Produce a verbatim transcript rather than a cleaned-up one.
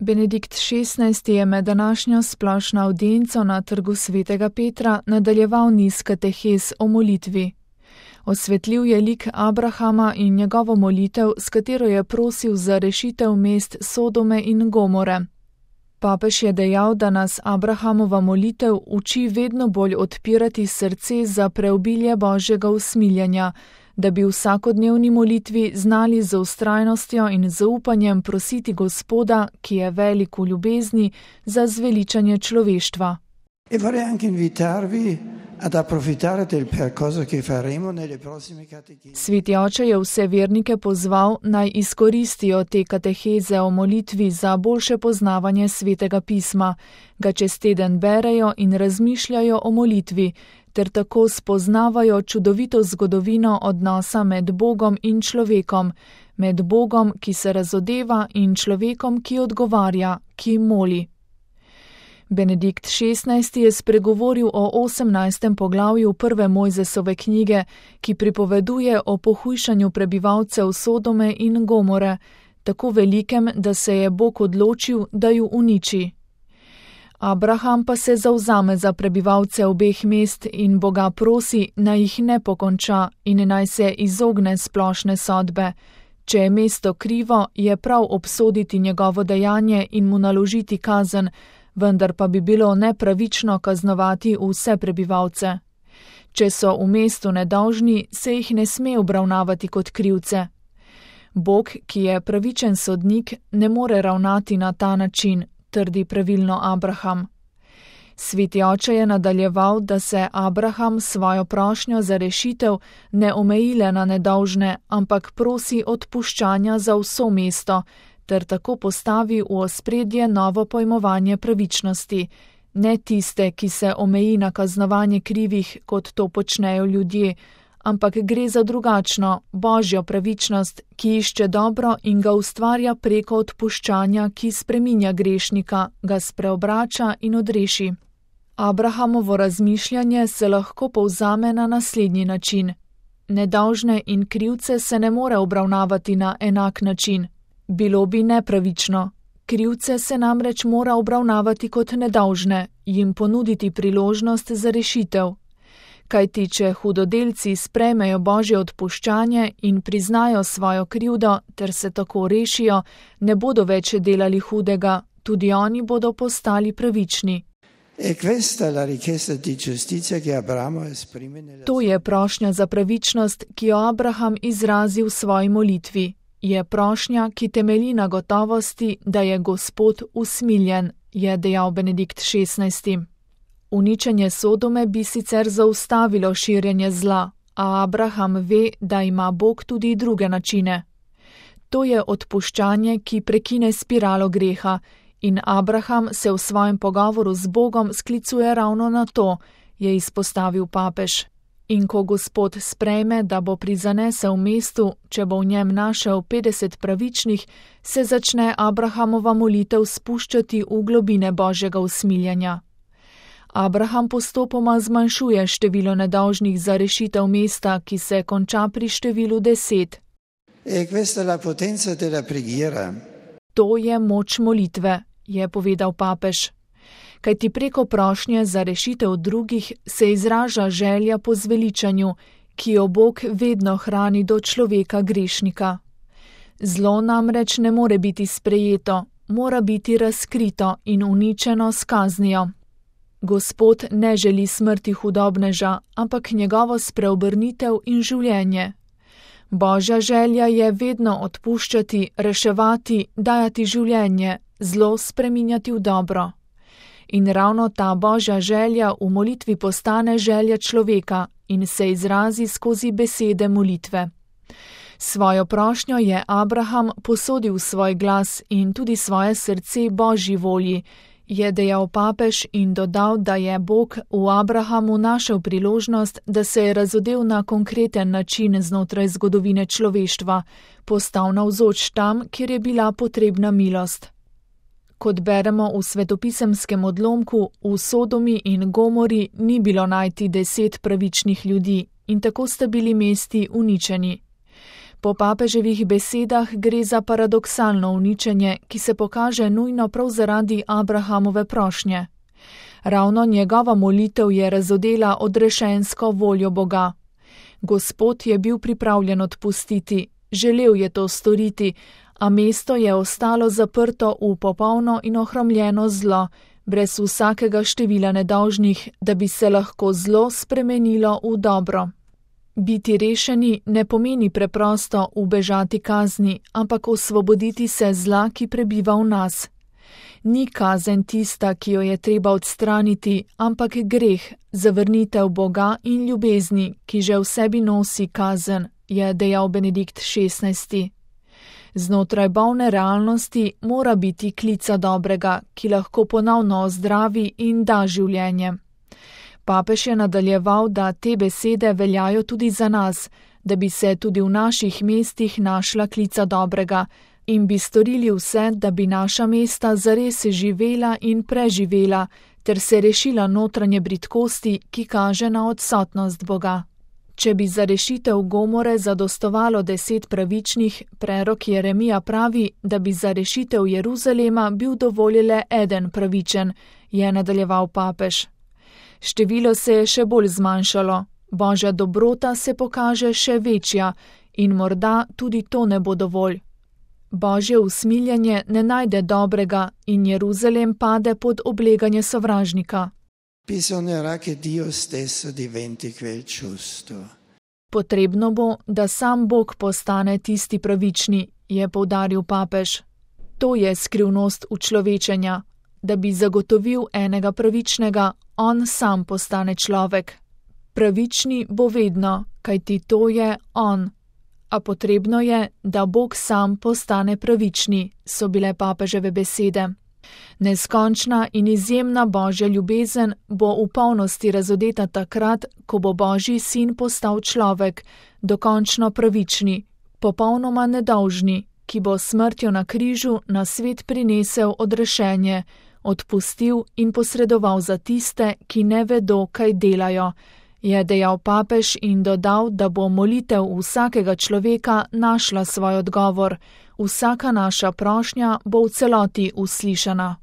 Benedikt šestnajsti je med današnjo splošno avdienco na trgu svetega Petra nadaljeval niz katehez o molitvi. Osvetlil je lik Abrahama in njegovo molitev, s katero je prosil za rešitev mest Sodome in Gomore. Papež je dejal, da nas Abrahamova molitev uči vedno bolj odpirati srce za preobilje Božjega usmiljenja, da bi v vsakodnevni molitvi znali z vztrajnostjo in zaupanjem prositi Gospoda, ki je velik v ljubezni, za zveličanje človeštva. E vorrei anche invitarvi ad approfittare del percorso che faremo nelle prossime catechesi. Sveti oče je vse vernike pozval, naj izkoristijo te kateheze o molitvi za boljše poznavanje svetega pisma, ga čez teden berejo in razmišljajo o molitvi, ter tako spoznavajo čudovito zgodovino odnosa med Bogom in človekom, med Bogom, ki se razodeva, in človekom, ki odgovarja, ki moli. Benedikt šestnajsti je spregovoril o osemnajstem poglavju prve Mojzesove knjige, ki pripoveduje o pohujšanju prebivalcev Sodome in Gomore, tako velikem, da se je Bog odločil, da ju uniči. Abraham pa se zavzame za prebivalce obeh mest in Boga prosi, naj jih ne pokonča in naj se izogne splošne sodbe. Če je mesto krivo, je prav obsoditi njegovo dejanje in mu naložiti kazen, vendar pa bi bilo nepravično kaznovati vse prebivalce. Če so v mestu nedolžni, se jih ne sme obravnavati kot krivce. Bog, ki je pravičen sodnik, ne more ravnati na ta način, trdi pravilno Abraham. Sveti oče je nadaljeval, da se Abraham svojo prošnjo za rešitev ne omejile na nedolžne, ampak prosi odpuščanja za vso mesto, ter tako postavi v ospredje novo pojmovanje pravičnosti, ne tiste, ki se omeji na kaznovanje krivih, kot to počnejo ljudje, ampak gre za drugačno, božjo pravičnost, ki išče dobro in ga ustvarja preko odpuščanja, ki spreminja grešnika, ga spreobrača in odreši. Abrahamovo razmišljanje se lahko povzame na naslednji način. Nedolžne in krivce se ne more obravnavati na enak način. Bilo bi nepravično. Krivce se namreč mora obravnavati kot nedolžne, jim ponuditi priložnost za rešitev. Kajti, če hudodelci sprejmejo Božje odpuščanje in priznajo svojo krivdo ter se tako rešijo, ne bodo več delali hudega, tudi oni bodo postali pravični. To je prošnja za pravičnost, ki jo Abraham izrazi v svoji molitvi. Je prošnja, ki temelji na gotovosti, da je Gospod usmiljen, je dejal Benedikt šestnajsti. Uničenje Sodome bi sicer zaustavilo širjenje zla, a Abraham ve, da ima Bog tudi druge načine. To je odpuščanje, ki prekine spiralo greha, in Abraham se v svojem pogovoru z Bogom sklicuje ravno na to, je izpostavil papež. In ko Gospod sprejme, da bo prizanesel mestu, če bo v njem našel petdeset pravičnih, se začne Abrahamova molitev spuščati v globine Božjega usmiljenja. Abraham postopoma zmanjšuje število nedolžnih za rešitev mesta, ki se konča pri številu deset. To je moč molitve, je povedal papež. Kajti preko prošnje za rešitev drugih se izraža želja po zveličanju, ki jo Bog vedno hrani do človeka grešnika. Zlo namreč ne more biti sprejeto, mora biti razkrito in uničeno s kaznijo. Gospod ne želi smrti hudobneža, ampak njegovo spreobrnitev in življenje. Božja želja je vedno odpuščati, reševati, dajati življenje, zlo spreminjati v dobro. In ravno ta Božja želja v molitvi postane želja človeka in se izrazi skozi besede molitve. Svojo prošnjo je Abraham posodil svoj glas in tudi svoje srce Božji volji, je dejal papež in dodal, da je Bog v Abrahamu našel priložnost, da se je razodel na konkreten način znotraj zgodovine človeštva, postal navzoč tam, kjer je bila potrebna milost. Kot beremo v svetopisemskem odlomku, v Sodomi in Gomori ni bilo najti deset pravičnih ljudi in tako sta bili mesti uničeni. Po papeževih besedah gre za paradoksalno uničenje, ki se pokaže nujno prav zaradi Abrahamove prošnje. Ravno njegova molitev je razodela odrešensko voljo Boga. Gospod je bil pripravljen odpustiti, želel je to storiti, a mesto je ostalo zaprto v popolno in ohromljeno zlo, brez vsakega števila nedolžnih, da bi se lahko zlo spremenilo v dobro. Biti rešeni ne pomeni preprosto ubežati kazni, ampak osvoboditi se zla, ki prebiva v nas. Ni kazen tista, ki jo je treba odstraniti, ampak greh, zavrnitev Boga in ljubezni, ki že v sebi nosi kazen, je dejal Benedikt šestnajsti. Znotraj bolne realnosti mora biti klica dobrega, ki lahko ponovno ozdravi in da življenje. Papež je nadaljeval, da te besede veljajo tudi za nas, da bi se tudi v naših mestih našla klica dobrega in bi storili vse, da bi naša mesta zares živela in preživela, ter se rešila notranje bridkosti, ki kaže na odsotnost Boga. Če bi za rešitev Gomore zadostovalo deset pravičnih, prerok Jeremija pravi, da bi za rešitev Jeruzalema bil dovolj le eden pravičen, je nadaljeval papež. Število se je še bolj zmanjšalo, Božja dobrota se pokaže še večja in morda tudi to ne bo dovolj. Božje usmiljenje ne najde dobrega in Jeruzalem pade pod obleganje sovražnika. Bisognerà che Dio stesso diventi quel giusto. Potrebno bo, da sam Bog postane tisti pravični, je poudaril papež. To je skrivnost učlovečenja, da bi zagotovil enega pravičnega, on sam postane človek. Pravični bo vedno, kajti to je on. A potrebno je, da Bog sam postane pravični, so bile papeževe besede. Neskončna in izjemna Božja ljubezen bo v polnosti razodeta takrat, ko bo Božji sin postal človek, dokončno pravični, popolnoma nedolžni, ki bo smrtjo na križu na svet prinesel odrešenje, odpustil in posredoval za tiste, ki ne vedo, kaj delajo, je dejal papež in dodal, da bo molitev vsakega človeka našla svoj odgovor, vsaka naša prošnja bo v celoti uslišana.